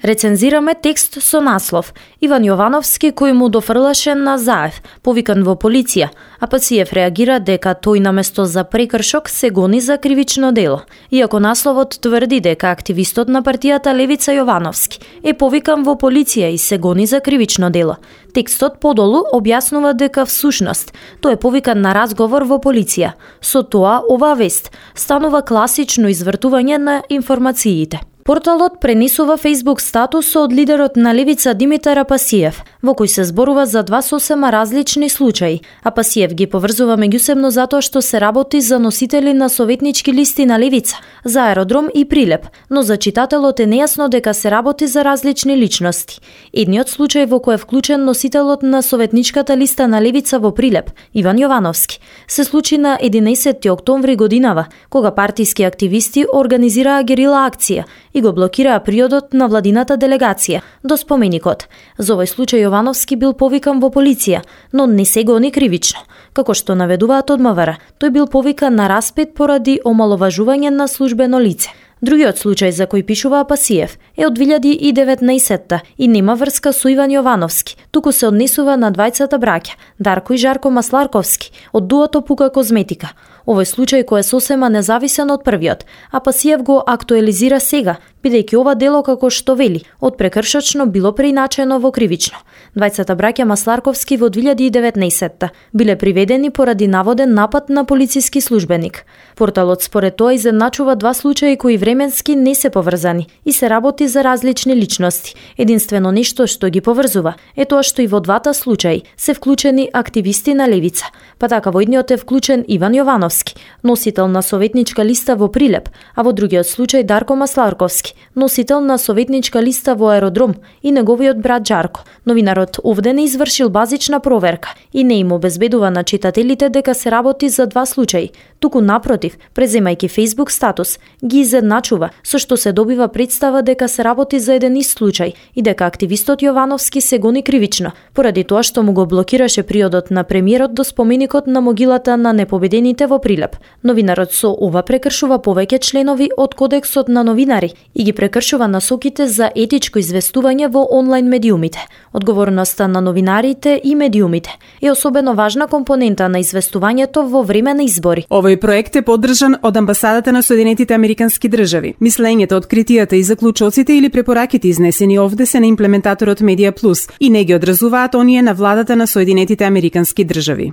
Рецензираме текст со наслов Иван Јовановски кој му дофрлаше на Заев, повикан во полиција, а Пасиев реагира дека тој наместо за прекршок се гони за кривично дело. Иако насловот тврди дека активистот на партијата Левица Јовановски е повикан во полиција и се гони за кривично дело, текстот подолу објаснува дека всушност тој е повикан на разговор во полиција. Со тоа, оваа вест станува класично извртување на информациите. Порталот пренесува Facebook статус од лидерот на Левица Димитар Пасиев, во кој се зборува за два сосема различни случаи, а Пасиев ги поврзува меѓусебно затоа што се работи за носители на советнички листи на Левица, за Аеродром и Прилеп, но за читателот е нејасно дека се работи за различни личности. Едниот случај во кој е вклучен носителот на советничката листа на Левица во Прилеп, Иван Јовановски, се случи на 11 октомври годинава, кога партиски активисти организираа герила акција и го блокираа приодот на владината делегација до споменикот. За овој случај Јовановски бил повикан во полиција, но не се гони кривично. Како што наведуваат од МВР, тој бил повикан на распит поради омаловажување на службено лице. Другиот случај за кој пишува Пасиев е од 2019 и нема врска со Иван Јовановски, туку се однесува на двајцата браќа, Дарко и Жарко Масларковски, од дуото Пука Козметика. Овој случај кој е сосема независен од првиот, а Пасиев го актуализира сега, бидејќи ова дело, како што вели, од прекршочно било преиначено во кривично. Двајцата браќа Масларковски во 2019 биле приведени поради наводен напад на полициски службеник. Порталот според тоа изедначува два случаи кои временски не се поврзани и се работи за различни личности. Единствено нешто што ги поврзува е тоа што и во двата случаи се вклучени активисти на Левица, па така во едниот е вклучен Иван Јовановски, носител на советничка листа во Прилеп, а во другиот случај Дарко Масларковски, носител на советничка листа во Аеродром и неговиот брат Жарко. Новинарот овде не извршил базична проверка и не им обезбедува на читателите дека се работи за два случаи, туку напротив, преземајќи Facebook статус, ги изедначува, со што се добива представа дека се работи за еден ист случај и дека активистот Јовановски се гони кривично, поради тоа што му го блокираше приодот на премиерот до споменикот на могилата на непобедените во Прилеп. Новинарот со ова прекршува повеќе членови од Кодексот на новинари и ги прекршува насоките за етичко известување во онлайн медиумите. Одговорноста на новинарите и медиумите е особено важна компонента на известувањето во време на избори. Овој проект е поддржан од Амбасадата на Соединетите Американски држави. Мислењето, откритијата и заклучоците или препораките изнесени овде се на имплементаторот Медија Плюс и не ги одразуваат оние на владата на Соединетите Американски држави.